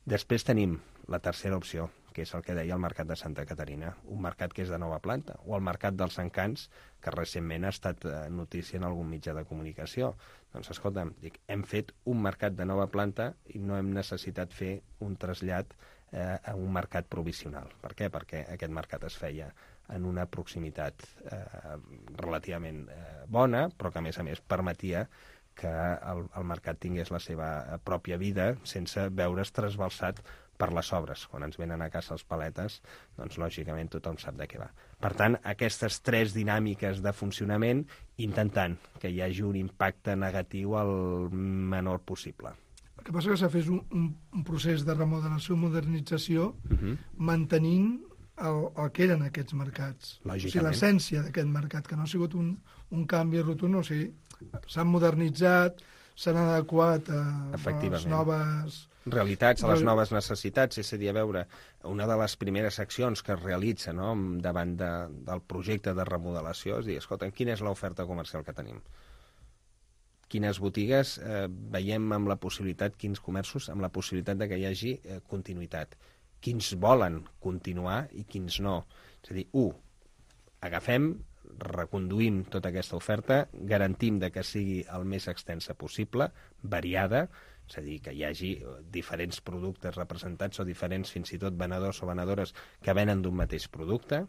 Després tenim la tercera opció, que és el que deia el Mercat de Santa Caterina, un mercat que és de nova planta, o el Mercat dels Encants, que recentment ha estat notícia en algun mitjà de comunicació. Doncs, escolta'm, hem fet un mercat de nova planta i no hem necessitat fer un trasllat a un mercat provisional. Per què? Perquè aquest mercat es feia en una proximitat relativament bona, però que, a més, permetia que el mercat tingués la seva pròpia vida sense veure's trasbalsat per les obres. Quan ens venen a casa els paletes, doncs lògicament tothom sap de què va. Per tant, aquestes tres dinàmiques de funcionament, intentant que hi hagi un impacte negatiu el menor possible. El que passa és que s'ha fet un procés de remodelació, modernització, mantenint el que eren aquests mercats. O sigui, l'essència d'aquest mercat, que no ha sigut un canvi rotund, o sigui, s'han modernitzat, s'han adequat a les noves realitats, a les noves necessitats. És a dir, a veure, una de les primeres accions que es realitza, no, davant del projecte de remodelació és dir, escolta, quina és l'oferta comercial que tenim? Quines botigues veiem amb la possibilitat, quins comerços amb la possibilitat de que hi hagi continuïtat? Quins volen continuar i quins no? És a dir, agafem, reconduïm tota aquesta oferta, garantim que sigui el més extensa possible, variada, és a dir, que hi hagi diferents productes representats o diferents, fins i tot, venedors o venedores que venen d'un mateix producte,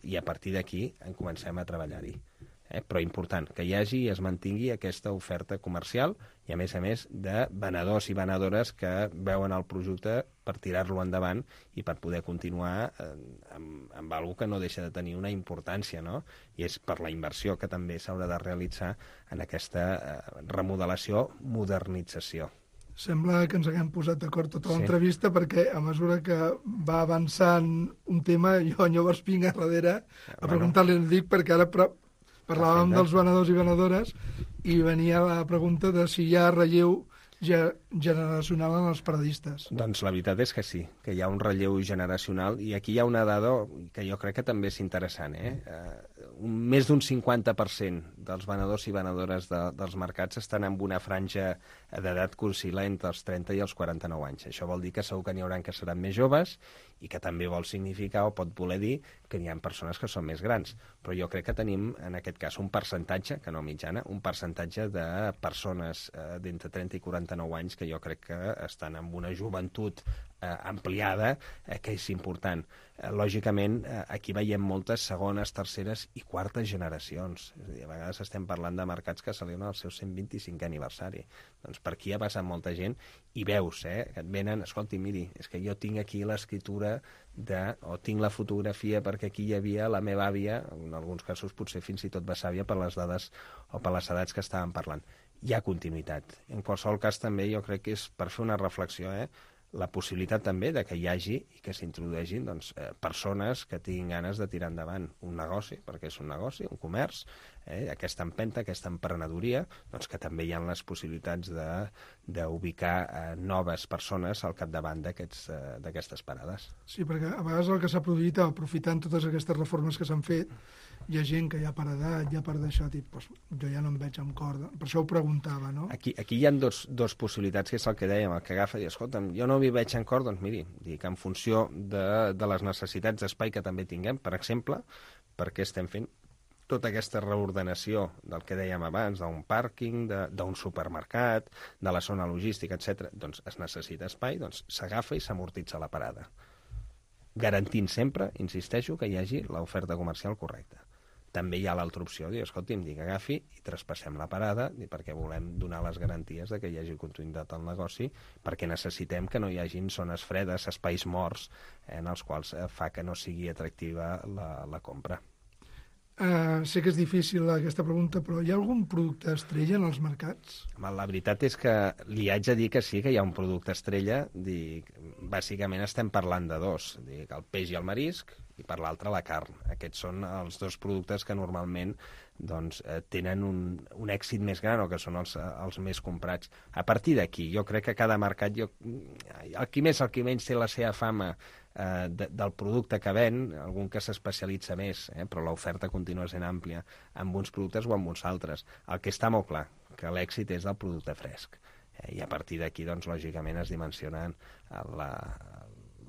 i a partir d'aquí en comencem a treballar-hi. Però important, que hi hagi i es mantingui aquesta oferta comercial i, a més, de venedors i venedores que veuen el producte per tirar-lo endavant i per poder continuar amb alguna que no deixa de tenir una importància, no? I és per la inversió que també s'haurà de realitzar en aquesta remodelació, modernització. Sembla que ens haguem posat d'acord tota l'entrevista, perquè a mesura que va avançant un tema, jo llavors vinc a darrere a preguntar-li, dic, perquè ara parlàvem dels venedors i venedores i venia la pregunta de si hi ha relleu generacional en els paradistes. Doncs la veritat és que sí, que hi ha un relleu generacional, i aquí hi ha una dada que jo crec que també és interessant. més d'un 50% dels venedors i venedores dels mercats estan en una franja d'edat que oscil·la entre els 30 i els 49 anys. Això vol dir que segur que n'hi haurà que seran més joves i que també vol significar o pot voler dir que n'hi ha persones que són més grans. Però jo crec que tenim, en aquest cas, un percentatge, que no mitjana, un percentatge de persones d'entre 30 i 49 anys que jo crec que estan en una joventut ampliada, que és important. Lògicament, aquí veiem moltes segones, terceres i quartes generacions. És a dir, a vegades estem parlant de mercats que celebren el seu 125è aniversari. Doncs per aquí ha passat molta gent i veus, que et venen, escolti, miri, és que jo tinc aquí l'escriptura o tinc la fotografia perquè aquí hi havia la meva àvia, en alguns casos potser fins i tot besàvia per les dades o per les edats que estàvem parlant. Hi ha continuïtat. En qualsevol cas també jo crec que és per fer una reflexió, la possibilitat també de que hi hagi i que s'introdueixin persones que tinguin ganes de tirar endavant un negoci, perquè és un negoci, un comerç, aquesta empenta, aquesta emprenedoria, doncs que també hi ha les possibilitats d'ubicar noves persones al capdavant d'aquestes parades. Sí, perquè a vegades el que s'ha produït, aprofitant totes aquestes reformes que s'han fet, hi ha gent que ja per edat, ja per d'això, jo ja no em veig amb corda. Per això ho preguntava, no? Aquí hi ha dos possibilitats, que és el que dèiem, el que agafa i escolta'm, jo no m'hi veig en cor, doncs miri, dic, en funció de les necessitats d'espai que també tinguem, per exemple, perquè estem fent tota aquesta reordenació del que dèiem abans, d'un pàrquing, d'un supermercat, de la zona logística, etc. Doncs es necessita espai, doncs s'agafa i s'amortitza la parada. Garantint sempre, insisteixo, que hi hagi l'oferta comercial correcta. També hi ha l'altra opció, dir, escolti'm, dic, agafi i traspassem la parada, perquè volem donar les garanties de que hi hagi continuïtat al negoci, perquè necessitem que no hi hagin zones fredes, espais morts, en els quals fa que no sigui atractiva la compra. Sé que és difícil aquesta pregunta, però hi ha algun producte estrella en els mercats? La veritat és que li haig de dir que sí que hi ha un producte estrella. Bàsicament estem parlant de dos, el peix i el marisc, i per l'altre la carn. Aquests són els dos productes que normalment tenen un èxit més gran o que són els més comprats. A partir d'aquí, jo crec que cada mercat, el qui més, el qui menys té la seva fama del producte que ven, algun que s'especialitza més, però l'oferta continua sent àmplia amb uns productes o amb uns altres. El que està molt clar, que l'èxit és del producte fresc. I a partir d'aquí, doncs, lògicament, es dimensionen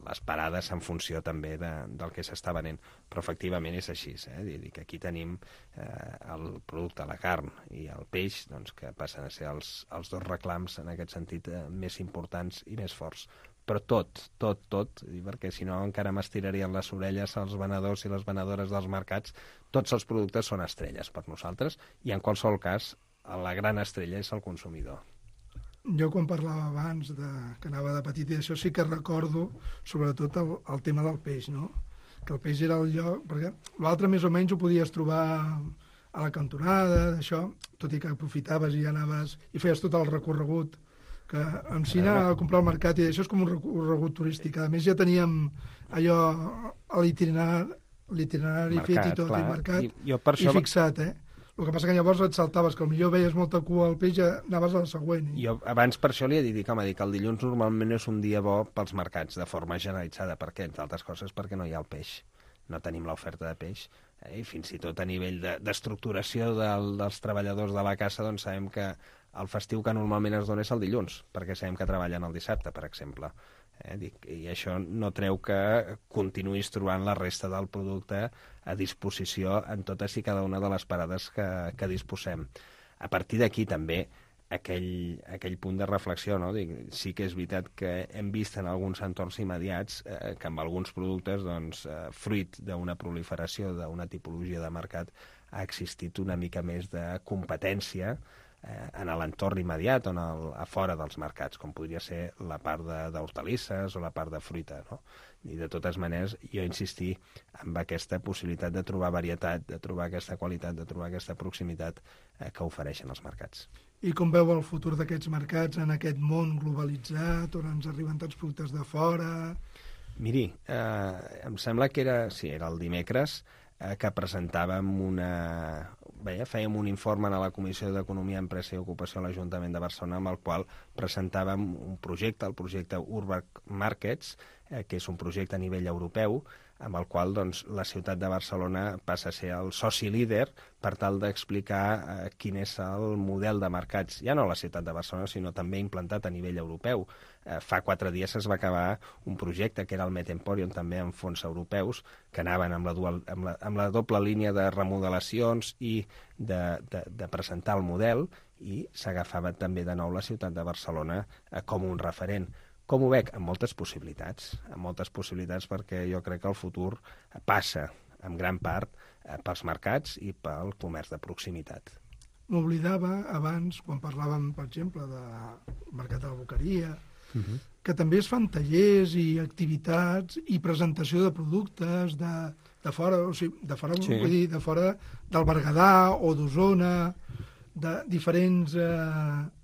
les parades en funció també del que s'està venent. Però efectivament és així, que aquí tenim el producte, la carn i el peix, doncs, que passen a ser els dos reclams en aquest sentit més importants i més forts. Però tot, perquè si no encara m'estirarien les orelles als venedors i les venedores dels mercats, tots els productes són estrelles per nosaltres i en qualsevol cas la gran estrella és el consumidor. Jo quan parlava abans que anava de petit i això sí que recordo sobretot el tema del peix, no? Que el peix era el lloc, perquè l'altre més o menys ho podies trobar a la cantonada, d'això, tot i que aprofitaves i anaves i feies tot el recorregut que em anar a comprar al mercat i això és com un recorregut turístic. A més ja teníem allò a l'itinerari fet i tot, i marcat i fixat, El que passa que llavors et saltaves, que potser veies molta cua al peix i anaves a la següent. Jo abans per això li he dit, que el dilluns normalment és un dia bo pels mercats, de forma generalitzada. Per què? Entre altres coses perquè no hi ha el peix. No tenim l'oferta de peix. I fins i tot a nivell d'estructuració dels treballadors de la caça, doncs sabem que el festiu que normalment es dona és el dilluns, perquè sabem que treballen el dissabte, per exemple. I això no treu que continuïs trobant la resta del producte a disposició en totes i cada una de les parades que disposem. A partir d'aquí també aquell punt de reflexió, no? Sí que és veritat que hem vist en alguns entorns immediats que amb alguns productes, fruit d'una proliferació d'una tipologia de mercat, ha existit una mica més de competència en l'entorn immediat o a fora dels mercats, com podria ser la part d'hortalisses o la part de fruita, no? I de totes maneres, jo insistir en aquesta possibilitat de trobar varietat, de trobar aquesta qualitat, de trobar aquesta proximitat que ofereixen els mercats. I com veu el futur d'aquests mercats en aquest món globalitzat, on ens arriben tants productes de fora? Miri, em sembla que era el dimecres, que presentàvem fèiem un informe a la Comissió d'Economia, Empresa i Ocupació a l'Ajuntament de Barcelona, amb el qual presentàvem un projecte, el projecte Urban Markets, que és un projecte a nivell europeu, amb el qual doncs, la ciutat de Barcelona passa a ser el soci líder per tal d'explicar quin és el model de mercats, ja no a la ciutat de Barcelona, sinó també implantat a nivell europeu. Fa 4 dies es va acabar un projecte que era el Met Emporium, també amb fons europeus, que anaven amb la doble línia de remodelacions i de presentar el model, i s'agafava també de nou la ciutat de Barcelona com un referent. Com ho veig? Amb moltes possibilitats perquè jo crec que el futur passa, en gran part, pels mercats i pel comerç de proximitat. M'oblidava abans, quan parlàvem, per exemple, del mercat de la Boqueria, que també es fan tallers i activitats i presentació de productes de fora, o sigui, de fora, vull dir, de fora del Berguedà o d'Osona, de diferents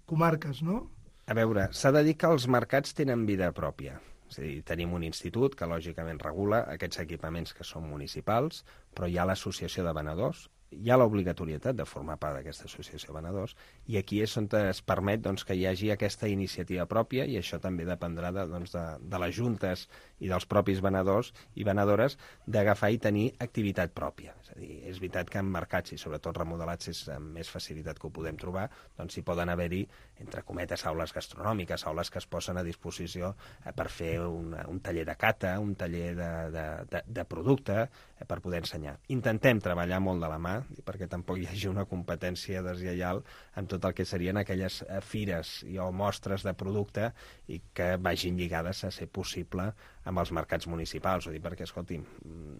comarques, no? A veure, s'ha de dir que els mercats tenen vida pròpia. És a dir, tenim un institut que lògicament regula aquests equipaments que són municipals, però hi ha l'associació de venedors, hi ha l'obligatorietat de formar part d'aquesta associació de venedors, i aquí és on es permet que hi hagi aquesta iniciativa pròpia, i això també dependrà de les juntes i dels propis venedors i venedores d'agafar i tenir activitat pròpia. És a dir, és veritat que en mercats, i sobretot remodelats és amb més facilitat que ho podem trobar, doncs hi poden haver-hi, entre cometes, aules gastronòmiques, aules que es posen a disposició per fer un taller de cata, un taller de producte, per poder ensenyar. Intentem treballar molt de la mà, perquè tampoc hi hagi una competència deslleial amb tot el que serien aquelles fires o mostres de producte i que vagin lligades a ser possible amb els mercats municipals. O dir, perquè, escolti'm,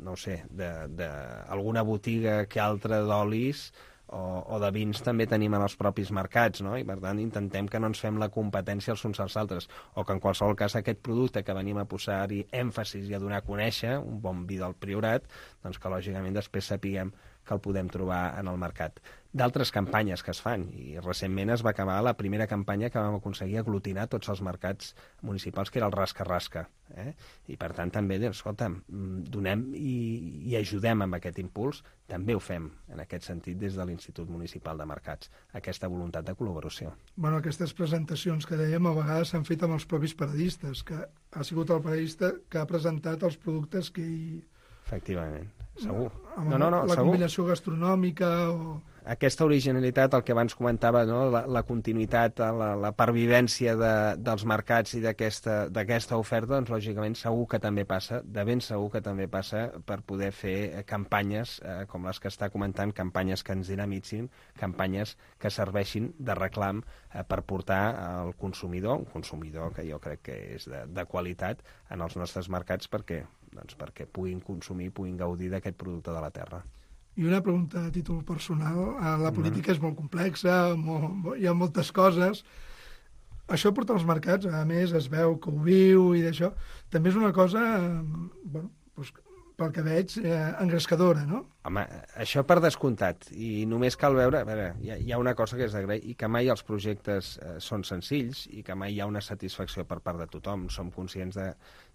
no ho sé, alguna botiga que altra d'olis o de vins també tenim en els propis mercats, no? I per tant intentem que no ens fem la competència els uns als altres, o que en qualsevol cas aquest producte que venim a posar-hi èmfasis i a donar a conèixer, un bon vi del Priorat, doncs que lògicament després sapiguem que el podem trobar en el mercat. D'altres campanyes que es fan, i recentment es va acabar la primera campanya que vam aconseguir aglutinar tots els mercats municipals, que era el Rasca-Rasca. I per tant també, escolta'm, donem i ajudem amb aquest impuls, també ho fem en aquest sentit des de l'Institut Municipal de Mercats, aquesta voluntat de col·laboració. Bueno, aquestes presentacions que dèiem a vegades s'han fet amb els propis paradistes, que ha sigut el paradista que ha presentat els productes que hi... Efectivament, segur. La combinació gastronòmica o... Aquesta originalitat, el que abans comentava, no? la continuïtat, la pervivència dels mercats i d'aquesta oferta, doncs lògicament segur que també passa, de ben segur que també passa per poder fer campanyes com les que està comentant, campanyes que ens dinamitzin, campanyes que serveixin de reclam per portar al consumidor, un consumidor que jo crec que és de qualitat en els nostres mercats perquè puguin consumir, puguin gaudir d'aquest producte de la terra. I una pregunta a títol personal. La política és molt complexa, hi ha moltes coses. Això porta als mercats, a més, es veu que ho viu i d'això. També és una cosa, pel que veig, engrescadora, no? Home, això per descomptat. I només cal veure... A veure, hi ha una cosa que és d'agrair, i que mai els projectes són senzills i que mai hi ha una satisfacció per part de tothom. Som conscients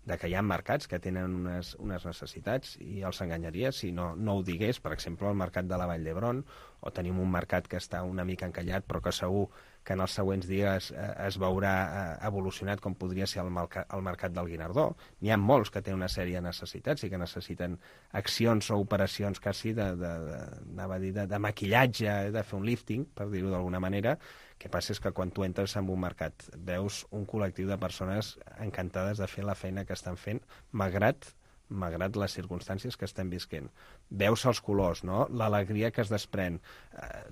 de que hi ha mercats que tenen unes necessitats i els enganyaria si no ho digués. Per exemple, el mercat de la Vall d'Hebron, o tenim un mercat que està una mica encallat però que segur que en els següents dies es veurà evolucionat com podria ser el mercat del Guinardó. N'hi ha molts que tenen una sèrie de necessitats i que necessiten accions o operacions quasi de maquillatge, de fer un lifting, per dir-ho d'alguna manera. El que passa és que quan tu entres en un mercat veus un col·lectiu de persones encantades de fer la feina que estan fent, malgrat les circumstàncies que estem visquent. Veus els colors, no? L'alegria que es desprèn.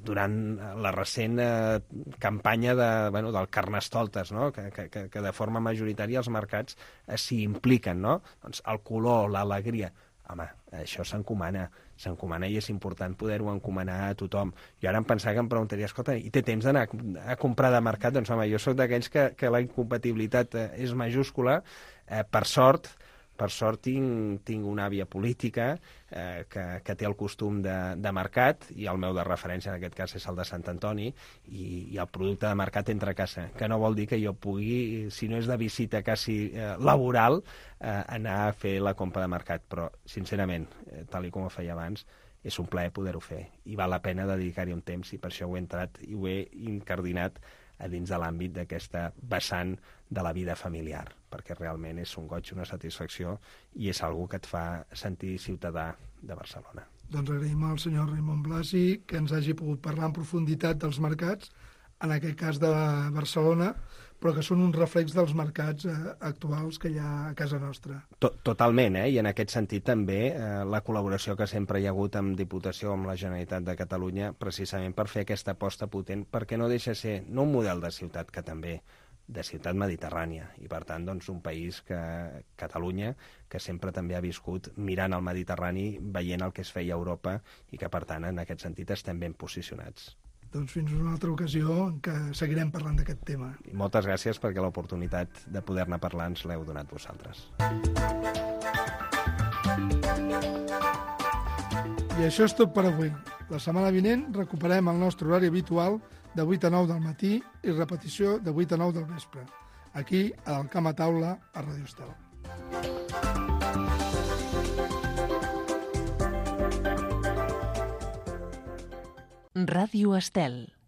Durant la recent campanya del Carnestoltes, no? que de forma majoritària els mercats s'hi impliquen, no? Doncs el color, l'alegria... Home, això s'encomana i és important poder-ho encomanar a tothom. Jo ara em pensava que em preguntaria, escolta, i té temps d'anar a comprar de mercat? Doncs home, jo soc d'aquells que la incompatibilitat és majúscula. Per sort tinc una àvia política que té el costum de mercat, i el meu de referència en aquest cas és el de Sant Antoni, i el producte de mercat entra a casa, que no vol dir que jo pugui, si no és de visita quasi laboral, anar a fer la compra de mercat. Però, sincerament, tal com ho feia abans, és un plaer poder-ho fer, i val la pena dedicar-hi un temps, i per això ho he entrat i ho he incardinat a dins de l'àmbit d'aquesta vessant de la vida familiar, perquè realment és un goig, una satisfacció i és algo que et fa sentir ciutadà de Barcelona. Doncs agraïm al senyor Raimon Blasi que ens hagi pogut parlar en profunditat dels mercats, en aquest cas de Barcelona, però que són un reflex dels mercats actuals que hi ha a casa nostra. Totalment, i en aquest sentit també la col·laboració que sempre hi ha hagut amb Diputació, amb la Generalitat de Catalunya, precisament per fer aquesta aposta potent, perquè no deixa de ser no un model de ciutat, que també de ciutat mediterrània, i per tant doncs, un país que Catalunya, que sempre també ha viscut mirant al Mediterrani, veient el que es feia a Europa, i que per tant en aquest sentit estem ben posicionats. Doncs fins una altra ocasió en què seguirem parlant d'aquest tema. I moltes gràcies perquè l'oportunitat de poder-ne parlar ens l'heu donat vosaltres. I això és tot per avui. La setmana vinent recuperem el nostre horari habitual de 8 a 9 del matí i repetició de 8 a 9 del vespre, aquí al Camp a Taula a Ràdio Estel. Ràdio Estel.